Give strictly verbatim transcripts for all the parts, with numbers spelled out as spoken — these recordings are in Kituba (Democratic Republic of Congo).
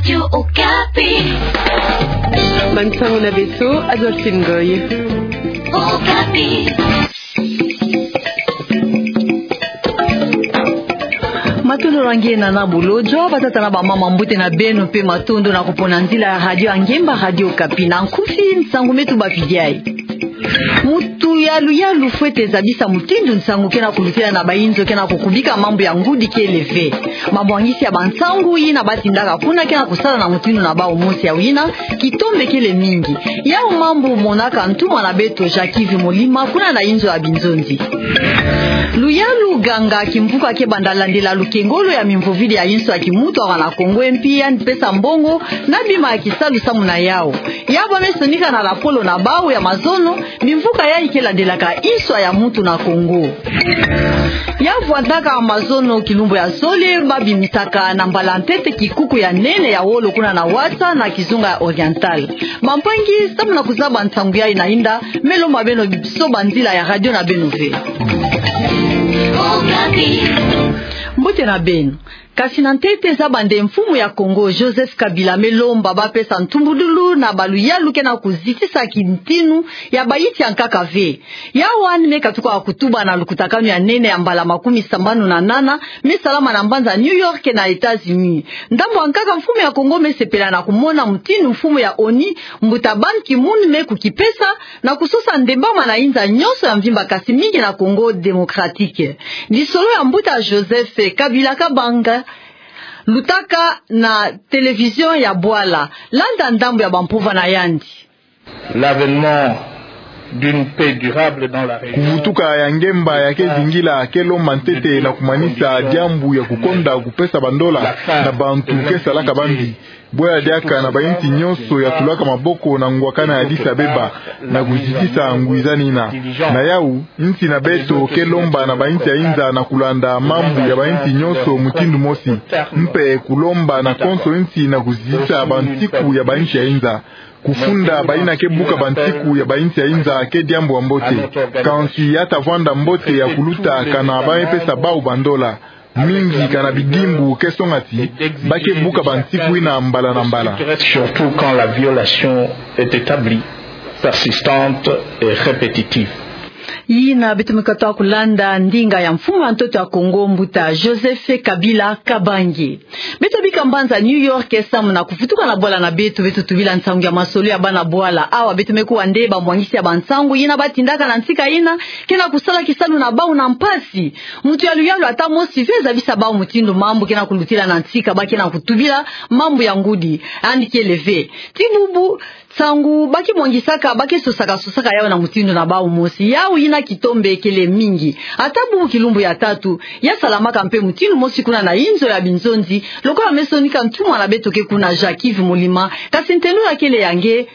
Radio Okapi. Bansango na beto, Adolphine Ngoy. Okapi. Matondo na nge na na bolodjwa, batata na bamama, mbote na beno mpe matondo na kupona nzila ya radio ya ngemba, Radio Okapi. Na nkufi, nsangu meto ba vidiai. Mutu ya luyalu fwete zabisa mutindu nsangu ke na kulutila na bainzo ke na kukubika mambu ya ngudi kele ve. Mabwangisi ya bansangu yina batindaka kuna ke na kusala na mutindu na bau mosi ya wina, kitombe kele mingi. Yau mambu monaka ntumwa na beto Jacques Yves Molima kuna na inzo ya binzonzi. Luyalu ganga kimvuka ke banda landila lukengolo ya mimvovidi ya inso ya kimutu awa na Kongo, e mpi yandi pesa mbongo na bima ya kisalu samu na yau. Yau ba me sonika na lapolo na bau ya mazono, bimvuka yayi ke landelaka inso ya mutu na Kongo. Ya vwandaka mazono kilumbu ya zole, ba bimisaka na mbala ntete kikuku ya nene ya wolo kuna na Wata na kizunga ya Oriental. Bampangi, samu na kuzaba nsangu yayi na inda, me lomba beno biso banzila ya radio na beno ve. Mbote na beno. Kasi na ntete, zaba nde mfumu ya Kongo, Joseph Kabila, me lomba ba pesa ntumbudulu na baluyalu ke na kuzitisa kintinu ya bayinti ya nkaka ve. Yau yandi me katuka kutuba na lukutakanu ya nene ya mbala makumi sambanu na nana, me salama na mbanza New York na États-Unis. Ndambu ya nkaka, mfumu ya Kongo me sepela na kumona mutindu mfumu ya ONU, mbuta Ban Ki-moon, me kukipesa na kusosa ndembama na inza nyonso ya mvimba, kasi mingi na Congo Démocratique. Lisolo ya mbuta Joseph Kabila Kabange lutaka na télévision ya bwala. Landa ndambu ya bampova na yandi. L'avènement d'une paix durable dans la région. Kuvutuka ya ngemba ya ke zingila ke lomba ntete na kumanisa diambu ya kukonda kupesa bandola na bantu ke salaka bambi. Bwe ya diaka na bayinti nyonso ya tulaka maboko na ngwakana ya Addis Abeba na kuzitisa ngwizani yina. Na yau, yinti na beto ke lomba na bayinti ya inza na kulanda mambu ya bayinti nyonso mutindu mosi. Mpe kulomba na konso yinti na kuzitisa bantiku ya bayinti ya inza. Kufunda bayina ke buka bantiku ya bayinti ya inza ke diambu ya mbote. Kansi ya ta vwanda mbote ya kuluta kana ba me pesa bau bandola. Mingi kana bidimbu ke songa ti ba ke buka bantiku yina mbala na mbala. Surtout quand la violation est établie, persistante et répétitive. Yina beto me katuka kulanda ndinga ya mfumu ya ntoto ya Congo, mbuta Joseph Kabila Kabange. Beto bika mbanza New York samu na kuvutuka na bwala na beto, beto tubila nsangu ya masolo ya bana bwala. Awa beto me kuwa nde bamwangisi ya bansangu yina ba tindaka na ntika yina ke na kusala kisalu na bau na mpasi. Mutu ya luyalu ata mosi ve zabisa bau mutindu mambu ke na kulutila na ntika ba ke na kutubila mambu ya ngudi. Yandi kele ve. Ti bubu nsangu ba ke mwangisaka, ba ke sosaka, sosaka yau na mutindu na bau mosi. Yau yina kitombe kele mingi. Ata bubu kilumbu ya tatu, ya salamaka mpe mutindu mosi kuna na inzo ya binzonzi, lokola me sonika ntumwa na beto ke kuna, Jacques Yves Molima, kasi ntendula kele ya nge.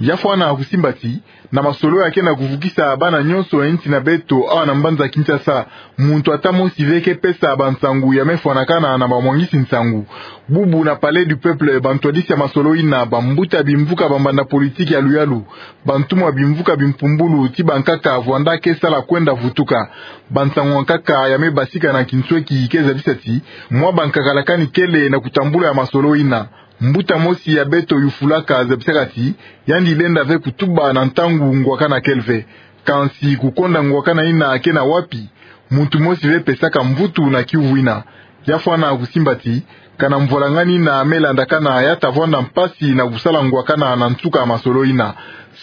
Ya fwana kusimba ti, na masolo ya ke na kuvukisa bana nyonso ya yinti na beto awa na mbanza Kinshasa, muntu ata mosi ve ke pesa bansangu ya me fwanakana na bamwangisi nsangu. Bubu na Palais du Peuple, bantwadisi ya masolo yina, bambuta bimvuka, bambanda politiki ya luyalu, bantumwa bimvuka bimpumbulu ti bankaka vwanda ke sala kwenda vutuka. Bansangu ya nkaka ya me basika na kinsweki ke zabisa ti, mwa bankaka lakani kele na kutambula ya masolo yina. Mbuta mosi ya beto yufulaka zabisaka ti, yandi lenda ve kutuba na ntangu ngwakana kele ve. Kansi kukonda ngwakana yina ke na wapi? Muntu mosi ve pesaka mvutu na kiuvu yina. Ya fwana kusimba ti, kana mvwalangani yina me landakana, ya ta vwanda mpasi na kusala ngwakana na nsuka ya masolo yina.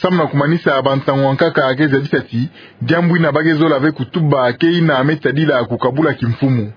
Samu na kumanisa, bansangu ya nkaka ke zabisa ti, diambu yina ba ke zola ve kutuba ke yina me tadila kukabula kimfumu.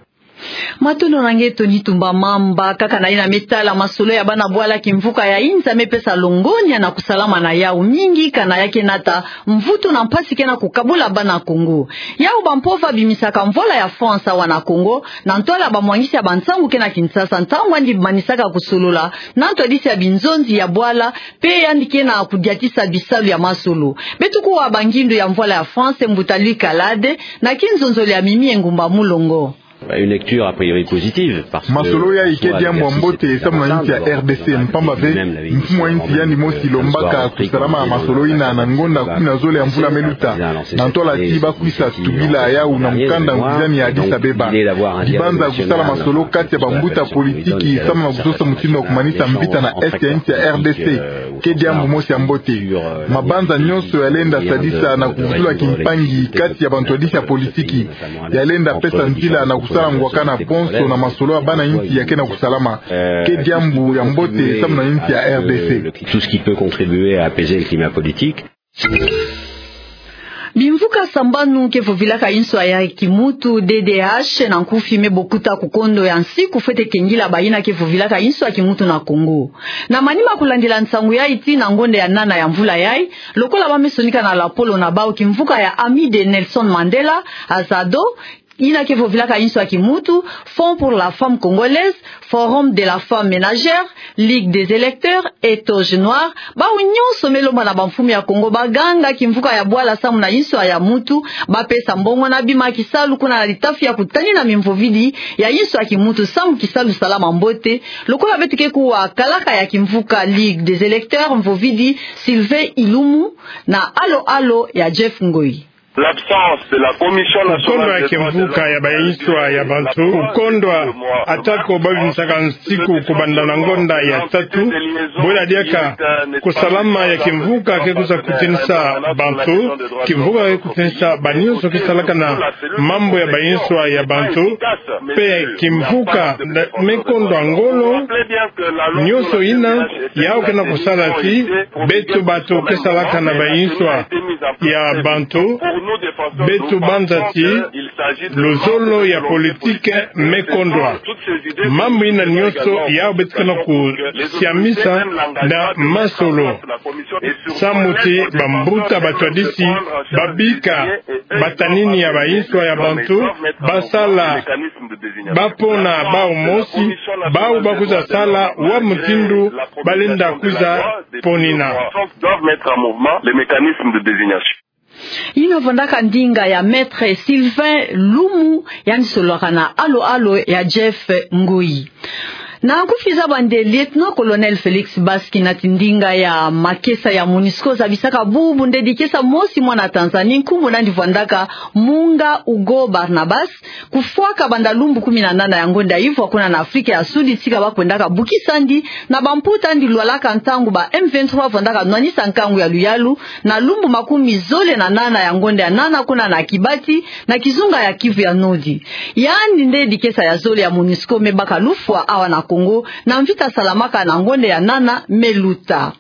Matondo na nge Tony Tumba Mamba. Kaka na yina me tala masolo ya bana bwala, kimvuka ya inza me pesa longonya na kusalama na yau mingi, kana ya ke nata mvutu na mpasi ke na kukabula bana Kongo. Yau bampova bimisaka mvola ya France awa na Kongo, na ntwala bamwangisi ya bansangu ke na Kinshasa, ntangu yandi manisaka kusolola na ntwadisi ya binzonzi ya bwala, mpe yandi ke na kudiatisa bisalu ya masolo. Beto kuwa bangindu ya mvola ya France, mbuta Louis Kalade, na kinzonzolo ya Mimi Engumba Mulongo. Une lecture a priori positive, parce que... Masolo yayi ke diambu ya mbote samu na insi ya R D C, mpamba ve mfumu a insi yandi mosi lombaka kusalama masolo ina na ngonda kumi na zole ya mvula me luta, na ntwala ti ba kwisa tubila yawu na mukanda nguzani ya Addis Abeba. Dibanza kusala masolo kati ya bambuta politiki samu na kusosa mutindu wa kumanisa mvita na Est ya insi ya R D C ke diambu mosi ya mbote. Mabanza nyonso yalenda sadisa na kuvutula kimpangi kati ya bantwadisi ya politiki, yalenda pesa nzila na kusala ngwakana bonso na masolo ya bana insi ya ke na kusalama, ke diambu ya mbote samu na insi ya R D C. Tout ce qui peut contribuer à apaiser le climat politique. Bimvuka sambanu ke vovilaka inswa ya kimutu, D D H, na nkufi, me bokuta ku kondo ya nsiku fwete kengila bayina ke vovilaka inswa ya kimutu na Kongo. Na manima kulandila nsangu yayi tii na ngonda ya nana ya mvula yayi, lokola ba me sonika na lapolo na bawu, kimvuka ya Ami de Nelson Mandela, Azado, yina ke vovilaka inswa ya kimutu, Fonds pour la Femme Congolaise, Forum de la Femme Ménagère, Ligue des Électeurs, Etoge Noir, bawu nyonso me lomba na bamfumu ya Kongo baganga kimvuka ya bwala samu na inswa ya mutu, ba pesa mbongo na bima kisalu kuna na litafi ya kutanina mimvovidi ya inswa ya kimutu samu kisalu salama mbote, lokola beto ke kuwa kalaka ya kimvuka Ligue des Électeurs, mvovidi Sylvain Ilumu, na alo-alo ya Jeff Ngoi. L'absence de la Commission nationale... Kukondo ya kimvuka ya bainswa ya bantu, kukondo atako babimisaka nsiku kubanda na ngonda ya tatu, bwela diaka kusalama ya kimvuka ke kwiza kutinisa bantu, kimvuka ke kutinisa banyonso ke salaka na mambu ya bainswa ya bantu, mpe kimvuka me kondwa ngolo nyonso yina, yawu ke na kusala ti beto bato ke salaka na bainswa ya bantu, beto banza ti luzolo ya politike me kondwa. Mambu yina nyonso yawu beto ke na kusiamisa na masolo, samu ti bambuta batwadisi babika batanini ya bainswa ya bantu, basala, bapona bawu mosi, bawu bakwiza sala wa mutindu balenda kwiza ponina. Doivent mettre en mouvement les mécanismes de désignation. Yina vwandaka ndinga ya Maître Sylvain Lumu, yandi sololaka na alo-alo ya Jeff Ngoi. Na nkufi za bande, Lieutenant-colonel Félix Bas, kinati ndinga ya makesa ya MONUSCO, zabisaka bubu ndedi kesa mosi mwana Tanzanie, nkumbu nandi vwandaka Munga Ugo Barnabas, kufwaka banda lumbu kumi na nana ya ngonda ivwa kuna na Afrika ya Sudi, tika ba kwendaka bukisa ndi na bamputa ndi lwalaka ntangu ba M vingt-trois vwandaka nwanisa nkangu ya luyalu, na lumbu makumi zole na nana ya ngonda ya nana kuna na Kibati, na kizunga ya Kivu ya Nodi. Yandi ndedi kesa ya zole ya MONUSCO me baka lufwa awa na Kongo, na mvita salamaka na ngonda ya nana me luta.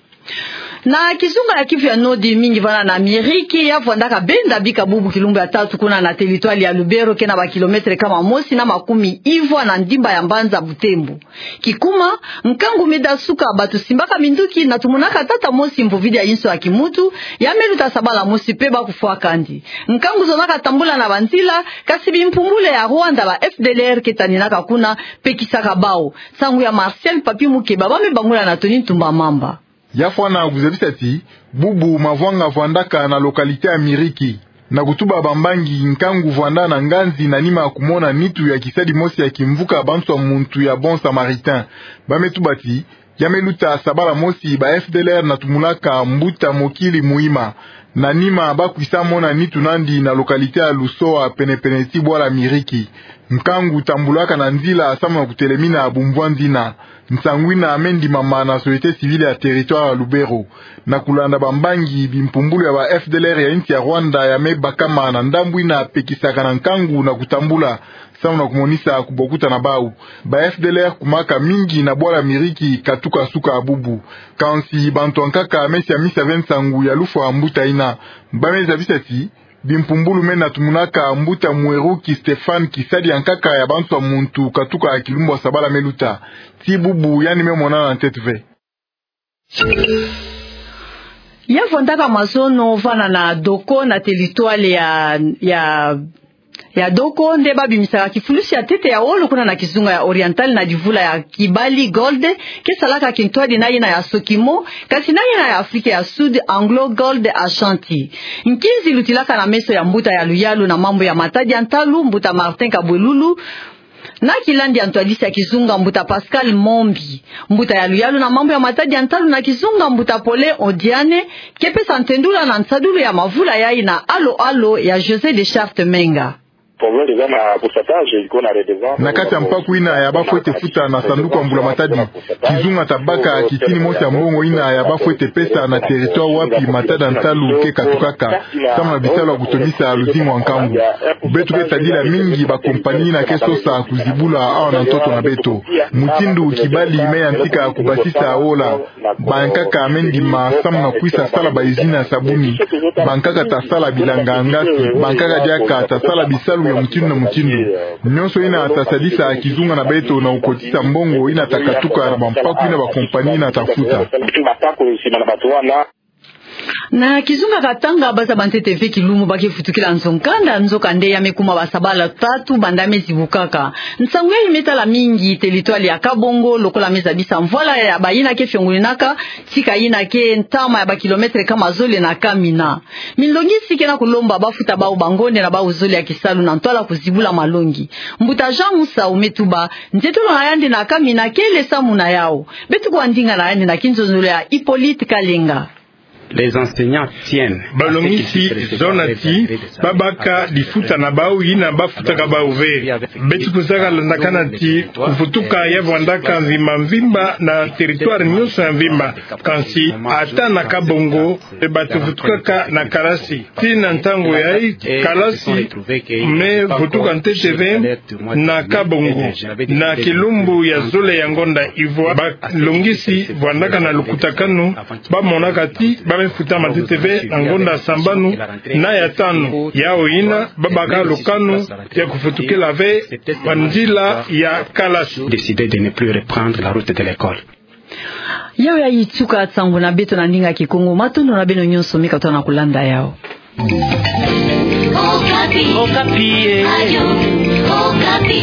Na kizunga ya Kivu ya Nodi, mingi vana na Miriki, ya vwandaka benda bika bubu kilumbu ya tatu kuna na territoire ya Lubero, ke na ba kilomètre kama mosi na makumi ivwa na ndimba ya mbanza Butembo. Kikuma, nkangu me dasuka, bato simbaka minduki na tumunaka tata mosi mvovidi ya inso ya kimutu, ya me luta sabala mosi mpe ba kufwaka ndi. Nkangu zonaka tambula na banzila, kasi bimpumbulu ya Rwanda, ba F D L R, ke taninaka kuna, pekisaka bawu. Nsangu ya Martial Papi Mukeba, ba me bangula na Tony Ntumba Mamba. Ya fwana kuzabisa ti bubu mavwanga vwandaka na localité ya Miriki, na kutuba bambangi nkangu vwanda na nganzi na nima ya kumona nitu ya kisadi mosi ya kimvuka banswa muntu ya Bon Samaritain. Ba me tuba ti ya me luta sabala mosi ba F D L R na tumulaka mbuta mokili muima. Na nima ba kwisa mona nitu nandi na localité ya Lusoa, penepene ti bwala Miriki. Nkangu tambulaka na nzila samu na kutelemina bumvwanzina. Nsangu ina me ndimama na société civile ya territoire ya Lubero. Na kulanda bambangi, bimpumbulu ya ba F D L R ya insi ya Rwanda ya me bakama na ndambu ina pekisaka na nkangu na kutambula, samu na kumonisa kubokuta na bawu. Ba F D L R kumaka mingi na bwala Miriki katuka suka bubu. Kansi bantu ankaka me siamisa ve nsangu ya lufwa mbuta ina. Ba me zabisa ti bimpumbulu me na tumunaka mbuta Mweruki Stéphane, kisadi ankaka ya banswa muntu katuka kilumbu ya sabala me luta. Ti bubu yandi me monana ntete ve. Ya vwandaka mazono vana na Doko, na territoire ya, ya, ya Doko, nde ba bimisaka kifulusi ya ntete ya wolo kuna na kizunga ya Oriental na divula ya Kibali Gold, ke salaka kintwadi na yina ya Sokimo, kasi na yina ya Afrika ya Sud, Anglo Gold Ashanti. Nkinzi lutilaka na meso ya mbuta ya luyalu na mambu ya matadi ya ntalu, mbuta Martin Kabwelulu, Na kilandi ya ntwadisi ya kizunga, mbuta Pascal Mombi, mbuta ya luyalu na mambu ya matadi ya ntalu na kizunga, mbuta Pole Odiane, ke pesa ntendula na nsadulu ya mavula yayi na alo-alo ya José de Charte Menga. Na kati ya mpaku ina ya bafwete futa na sanduku ya mbula-matadi, kizunga tabaka kitini mosi ya mbongo ina ya bafwete pesa na territoire wapi matadi ya ntalu ke katukaka, samu na bisalu ya kutondisa luzingu ya nkangu. Beto ke sadila mingi bakompani ina ke sosa kuzibula awa na ntoto na beto. Mutindu kibali me yantika kubasisa ola. Bankaka me ndima samu na kwisa sala ba usine ya sabuni. Bankaka tasala bilanga ya ngasi. Bankaka diaka tasala bisalu ya mutindu na mutindu. Nyonso ina tasadisa kizunga na beto na kukotisa mbongo ina takatuka na bampaku ina bakompani ina tafuta. Na kizunga Katanga, baza ba ntete ve kilumbu ba ke futukila nzo-nkanda, nzokande ya me kuma basabala tatu banda me zibukaka. Nsangu yayi me tala mingi territoire ya Kabongo, lokola me zabisa mvwala ya bayina ke fiongoninaka tika yina ke ntama ya ba kilomètre kama zole na Kamina. Minlongisi ke na kulomba bafuta bawu bangonde na bawu zole ya kisalu na ntwala kuzibula malongi. Mbuta Jean Musau me tuba, ntetolo na yandi na Kamina kele samu na yawu. Beto kua ndinga na yandi na kinzonzolo ya Hippolyte Kalenga. Balongisi zonza ti babaka lifuta na bawu yina bafutaka bawu ve. Beto kuzaka landakana ti kufutuka ya vwandaka mvimba mvimba na territoire nyonso ya mvimba. Kansi ata na Kabongo, e, bato vutukaka na kalasi. Tii na ntangu yayi, kalasi me vutuka ntete ve na Kabongo, na kilumbu ya zole ya ngonda. Ivwa balongisi vwandaka na lukutakanu, bamonaka ti ba me futa matete ve na ngonda sambanu na ya tanu. Yawu yina babaka lukanu ya kufutukila ve banzila ya kalasi. Décidé de ne plus reprendre la route de l'école. Yawu yayi tuka nsangu na beto na ndinga Kikongo. Matondo na beno nyonso me katuka na kulanda yawu. Okapi. Okapi, eh. Radio Okapi.